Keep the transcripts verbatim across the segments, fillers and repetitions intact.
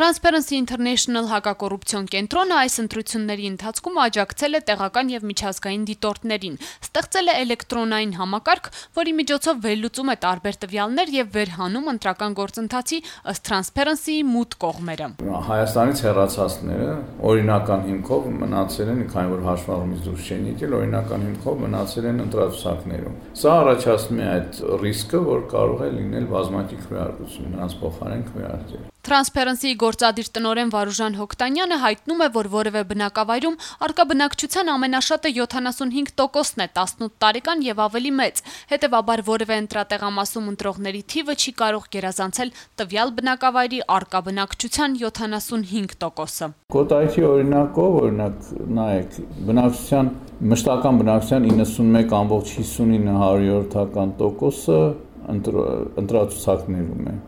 Transparency International հակակոռուպցիոն կենտրոնը այս ընտրությունների ընթացքում աջակցել է տեղական եւ միջազգային դիտորդներին, ստեղծել է էլեկտրոնային համակարգ, որի միջոցով վերլուծում է տարբեր տվյալներ եւ վերհանում ընտրական գործընթացի ըստ Transparency-ի մութ կողմերը։ Հայաստանից հեռացածները օրինական հիմքով մնացել են, քանի որ հաշվառումից դուրս չեն եկել, օրինական հիմքով մնացել են ընտրացուցակներում։ Սա առաջացնում է այդ ռիսկը, որ կարող է լինել բազմաթիվ քվեարկություն, նրանց փոխարեն քվեարկել։ Transparency-ի գործադիր տնօրեն Վարուժան Հոկտանյանը հայտնում է, որ որևէ բնակավայրում առկա բնակչության ամենաշատը յոթանասունհինգ տոկոսն է տասնութ տարեկան եւ ավելի մեծ, հետեւաբար որևէ ընտրատեղամասում ընտրողների թիվը չի կարող գերազանցել տվյալ բնակավայրի առկա բնակչության յոթանասունհինգ տոկոսը։ Կոտայքի օրինակով, օրինակ, նայեք, բնակչության մշտական բնակչության իննսունմեկ կամբողջ հիսունինը հարյուրորդական տոկոսը ընտրացուցակներում է։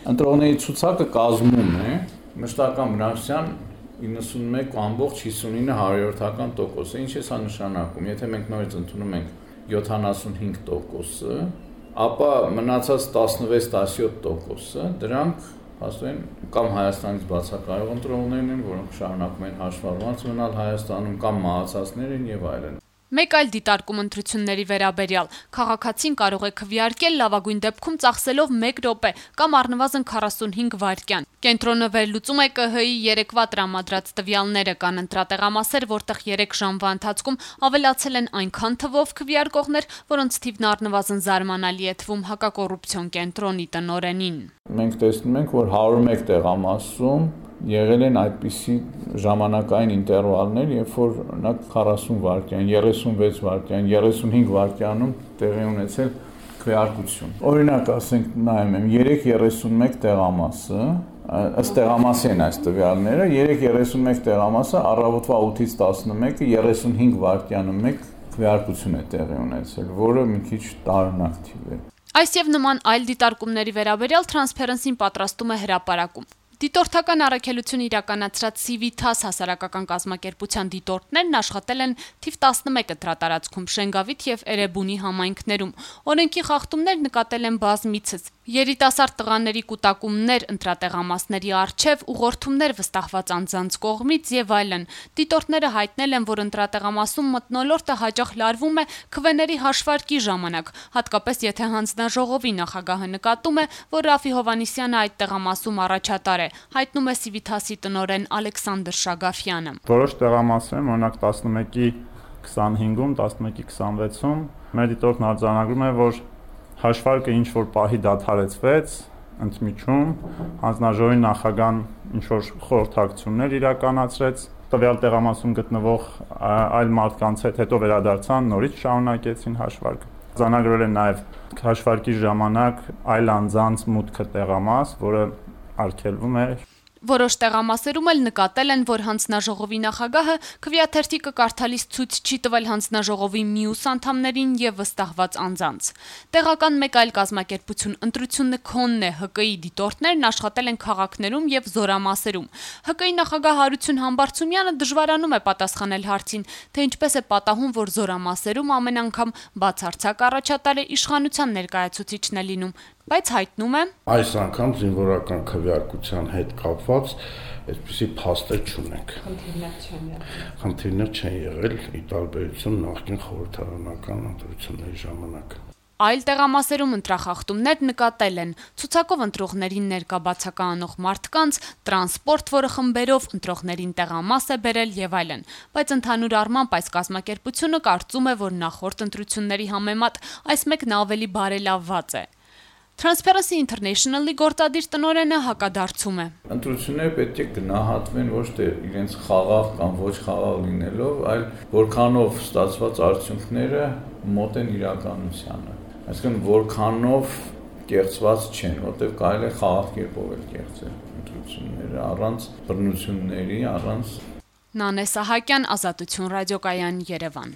Ընտրողների ցուցակը կազմում է մշտական բնակչության իննսունմեկ կամբողջ հիսունինը հարյուրորդական տոկոսը, ինչ է սա նշանակում, եթե մենք նորից ընդունում ենք յոթանասունհինգ տոկոսը, ապա մնացած տասնվեց տասնյոթ տոկոսը, դրանք հաստատեն կամ Հայաստանից բացակայող ընտրողներն են, որոնք շարունակում են հաշվառված մնալ Հայաստանում, կամ մահացածներ են եւ այլն։ Մեկ այլ դիտարկում ընտրությունների վերաբերյալ քաղաքացին կարող է քվեարկել լավագույն դեպքում ծախսելով մեկ րոպե կամ առնվազն քառասունհինգ վայրկյան։ Կենտրոնը վերլուծում է Կ Հ-ի երեկվա տրամադրած տվյալները, կան ընտրատեղամասեր, որտեղ երեք ժամվա ընթացքում ավելացել են այնքան թվով քվեարկողներ, որոնց թիվն առնվազն զարմանալի է թվում հակակոռուպցիոն կենտրոնի տնօրենին։ Մենք տեսնում ենք, որ հարյուր մեկ տեղամասում եղել են այդպիսի ժամանակային ինտերվալներ, երբ որ օրինակ քառասուն վայրկյան, երեսունվեց վայրկյան, երեսունհինգ վայրկյանում տեղի ունեցել քվեարկություն։ Օրինակ, ասենք, նայում եմ, երեք երեսունմեկ տեղամասը, ըստ տեղամասի են այս տվյալները, երեք երեսունմեկ տեղամասը առավոտվա ութից տասնմեկը երեսունհինգ վայրկյանը մեկ քվեարկություն է տեղի ունեցել, որը մի քիչ տարօրինակ թիվ է։ Այս եւ նման այլ դիտարկումների վերաբերյալ Transparency-ն պատրաստում է հրապարակում։ Դիտորդական առաքելություն իրականացրած Civitas հասարակական կազմակերպության դիտորդներն աշխատել են թիվ տասնմեկ ընտրատարածքում Շենգավիթ եւ Էրեբունի համայնքներում։ Օրենքի խախտումներ նկատել են բազմիցս։ Երիտասարդ տղաների կուտակումներ ընտրատեղամասների առջև, ուղղորդումներ վստահված անձանց կողմից եւ այլն։ Դիտորդները հայտնել են, որ ընտրատեղամասում մթնոլորտը հաճախ լարվում է քվեների հաշվարկի ժամանակ, հատկապես եթե հանձնաժողովի նախագահը նկատում է, որ Ռաֆի Հովհաննիսյանը այդ տեղամասում առաջատար է, հայտնում է Civitas-ի տնօրեն Ալեքսանդր Շագաֆյանը։ Որոշ տեղամասերում, օրինակ տասնմեկի քսանհինգում, տասնմեկի քսանվեցում, մեր դիտորդն արձանագրում է, որ հաշվարկը ինչ որ պահի դադարեցվեց, ընդմիջում հանձնաժողովի նախագահան ինչ որ խորհրդակցություններ իրականացրեց, տվյալ տեղամասում գտնվող այլ մարդկանց հետ հետո վերադարձան, նորից շարունակեցին հաշվարկը։ Արձանագրել են նաև հաշվարկի ժամանակ այլ անձանց մուտքը տեղամաս, որը արգելվում է։ Որոշ տեղամասերում էլ նկատել են, որ հանձնաժողովի նախագահը քվեաթերթիկը կարդալիս ցույց չի տվել հանձնաժողովի մյուս անդամներին եւ վստահված անձանց։ Տեղական մեկ այլ կազմակերպություն ընտրությունը քոնն է Հ Կ-ի դիտորդներն աշխատել են քաղաքներում եւ զորամասերում։ Հ Կ-ի նախագահ Հարություն Համբարձումյանը դժվարանում է պատասխանել հարցին, թե ինչպես է պատահում, որ զորամասերում ամեն անգամ բացարձակ առաջատար է իշխանության ներկայացուցիչն է լինում, բայց հայտնում է. Այս անգամ զինվորական քվեարկության հետ կապված այսպիսի փաստեր չունենք։ Խնդիրներ չեն եղել։ Խնդիրներ չեն եղել ի տարբերություն նախկին խորհրդարանական ընտրությունների ժամանակ։ Այլ տեղամասերում ընտրախախտումներ նկատել են ցուցակով ընտրողներին ներկա բացակայանող մարդկանց, տրանսպորտ, որը խմբերով ընտրողներին տեղամաս է բերել եւ այլն, բայց ընդհանուր առմամբ այս կազմակերպությունը կարծում է, որ նախորդ ընտրությունների համեմատ այս մեկն ավելի բարելավված է։ Transparency International-ի գործադիր տնօրենը հակադարձում է։ Ընտրությունները պետք է գնահատվեն ոչ թե իրենց խաղաղ կամ ոչ խաղաղ լինելով, այլ որքանով ստացված արդյունքները մոտ են իրականությանը։ Այսինքն որքանով կեղծված չեն, որտեղ կարելի է խաղաղ կերպով էլ կեղծել ընտրությունները առանց բռնությունների, առանց Նանե Սահակյան, Ազատություն ռադիոկայան, Երևան։